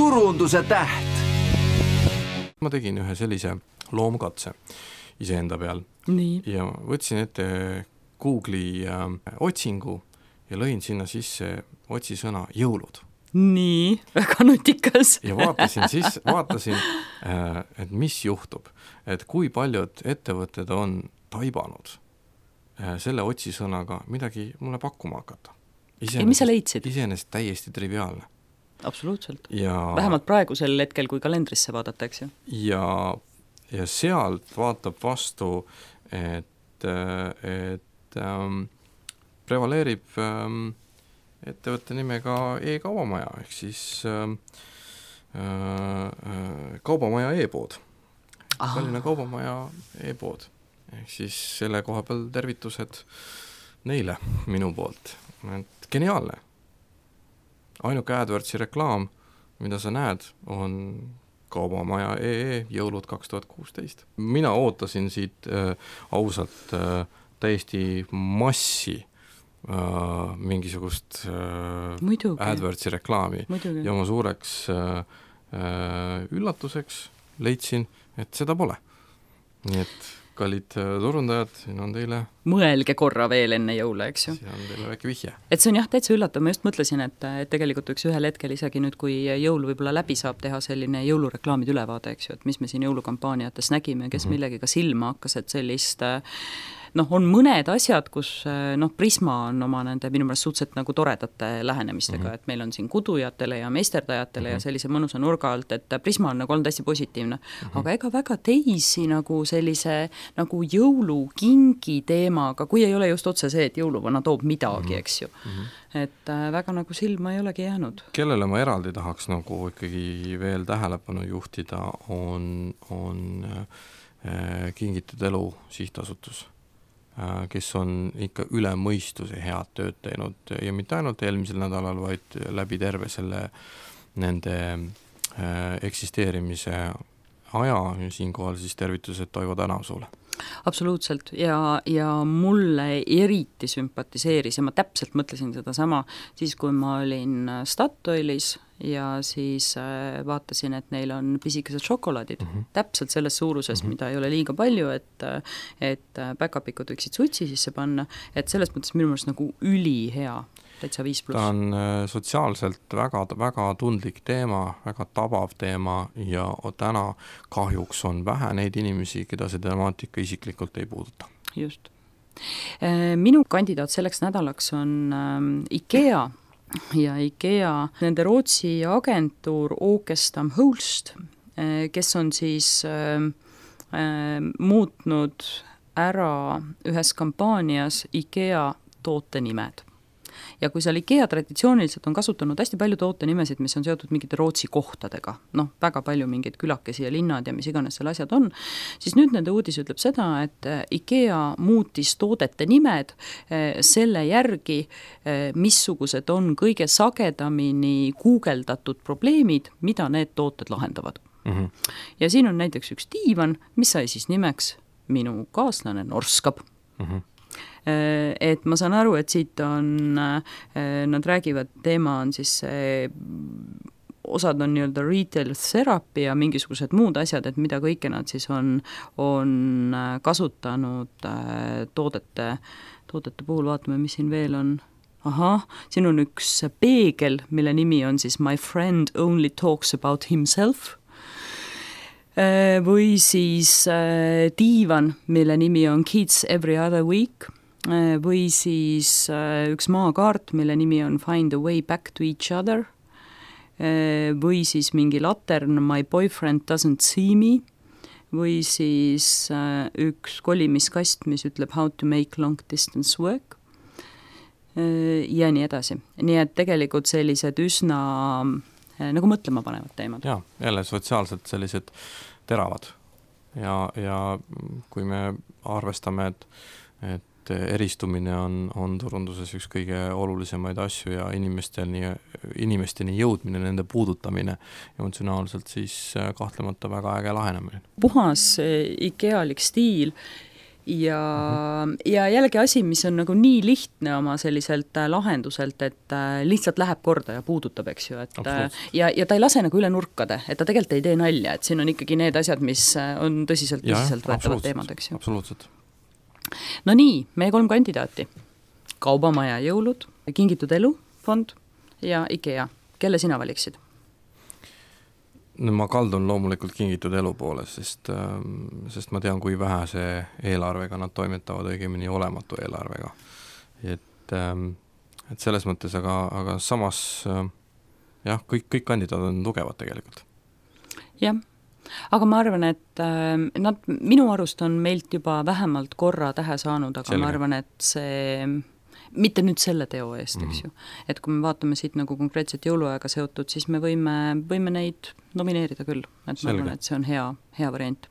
turunduse täht. Ma tegin ühe sellise loomkatse iseenda peal. Nii. Ja võtsin ette Google'i otsingu ja lõin sinna sisse otsisõna jõulud. Nii, väga nutikas. Ja vaatasin, et mis juhtub, et kui paljud ettevõtted on taibanud selle otsisõnaga midagi mulle pakkuma hakata. Ja mis sa leidsid? Iseenesest täiesti triviaalne. Absoluutselt. Ja, vähemalt praegusel hetkel, kui kalendrisse vaadatakse. Ja sealt vaatab vastu, et prevaleerib ettevõtte nimega e-kaubamaja, ehk siis kaubamaja e-pood. Tallinna kaubamaja e-pood. Ehk siis selle koha peal tervitused neile minu poolt. Et geniaalne. Ainuke AdWordsi reklaam, mida sa näed, on kaubamaja jõulud 2016. Mina ootasin siit ausalt täiesti massi mingisugust AdWordsi reklaami. Muidugi. Ja oma suureks üllatuseks leidsin, et seda pole. Nii et kallid turundajad, siin on teile... Mõelge korra veel enne jõule, eks ju. Siin on teile väike vihje. Et see on jah, täitsa üllatav. Ma just mõtlesin, et tegelikult võiks ühel hetkel isegi nüüd, kui jõul võib-olla läbi saab teha selline jõulureklaamid ülevaade, eks ju, et mis me siin jõulukampaaniates nägime, kes millegiga silma hakkas, et sellist... on mõned asjad, kus Prisma on oma nende minu meelest suhteliselt nagu toredate lähenemistega, et meil on siin kudujatele ja meisterdajatele ja sellise mõnusa nurga alt, et Prisma on nagu olnud hästi positiivne. Aga ega väga teisi nagu sellise nagu jõulukingi teemaga, kui ei ole just otse see, et jõuluvana toob midagi, eks ju. Et väga nagu silma ei olegi jäänud. Kellele ma eraldi tahaks nagu ikkagi veel tähelepanu juhtida, on Kingitud elu sihtasutus, kes on ikka üle mõistuse head tööd teinud ja mitte ainult eelmisel nädalal, vaid läbi terve selle nende eksisteerimise aja, siinkohal siis tervitused Toivo Tänavsuule. Absoluutselt ja mulle eriti sümpatiseeris ja ma täpselt mõtlesin seda sama siis, kui ma olin Statoilis ja siis vaatasin, et neil on pisikesed šokolaadid, täpselt selles suuruses, mida ei ole liiga palju, et päkapikud võiksid sutsi sisse panna, et selles mõttes minu meelest nagu ülihea, täitsa 5+. Ta on sotsiaalselt väga, väga tundlik teema, väga tabav teema ja täna kahjuks on vähe neid inimesi, keda see temaatika isiklikult ei puuduta. Just. Minu kandidaat selleks nädalaks on IKEA ja IKEA, nende Rootsi agentuur Åkestam Holst, kes on siis muutnud ära ühes kampaanias IKEA tootenimed. Ja kui seal IKEA traditsiooniliselt on kasutanud hästi palju tootenimesid, mis on seotud mingite Rootsi kohtadega, väga palju mingeid külakesi ja linnad ja mis iganes seal asjad on, siis nüüd nende uudis ütleb seda, et IKEA muutis toodete nimed selle järgi, missugused on kõige sagedamini guugeldatud probleemid, mida need tooted lahendavad. Ja siin on näiteks üks diivan, mis sai siis nimeks minu kaaslane Norskab. Et ma saan aru, et siit on, nad räägivad, teema on siis osad on nii-öelda retail therapy ja mingisugused muud asjad, et mida kõike nad siis on kasutanud toodete puhul, vaatame, mis siin veel on. Siin on üks peegel, mille nimi on siis My friend only talks about himself. Või siis diivan, mille nimi on Kids every other week. Või siis üks maakaart, mille nimi on Find a way back to each other. Või siis mingi latern My boyfriend doesn't see me. Või siis üks kolimiskast, mis ütleb How to make long distance work. Ja nii edasi. Nii et tegelikult sellised üsna nagu mõtlema panevad teemad. Ja, jälle sotsiaalselt sellised teravad. Ja kui me arvestame, et eristumine on turunduses üks kõige olulisemaid asju ja inimesteni jõudmine, nende puudutamine emotsionaalselt, siis kahtlemata väga äge lahenemine. Puhas IKEA-lik stiil ja jällegi asi, mis on nagu nii lihtne oma selliselt lahenduselt, et lihtsalt läheb korda ja puudutab, eks ju, et ja ta ei lase nagu üle nurkade, et ta tegelikult ei tee nalja, et siin on ikkagi need asjad, mis on tõsiselt võetavad teemad, eks ju. Absoluutselt. No nii, meie 3 kandidaati. Kaubamaja jõulud, Kingitud elu fond ja IKEA. Kelle sina valiksid? No ma kaldun loomulikult Kingitud elu poole, sest ma tean, kui vähese eelarvega nad toimetavad, õigemini olematu eelarvega. Et selles mõttes, aga samas jah, kõik kandidaadid on tugevad tegelikult. Jah, aga ma arvan, et nad minu arust on meilt juba vähemalt korra tähe saanud, aga ma arvan, et see mitte nüüd selle teo eest, eks ju. Et kui me vaatame siit nagu konkreetselt jõuluaega seotud, siis me võime neid nomineerida küll. Et ma arvan, et see on hea variant.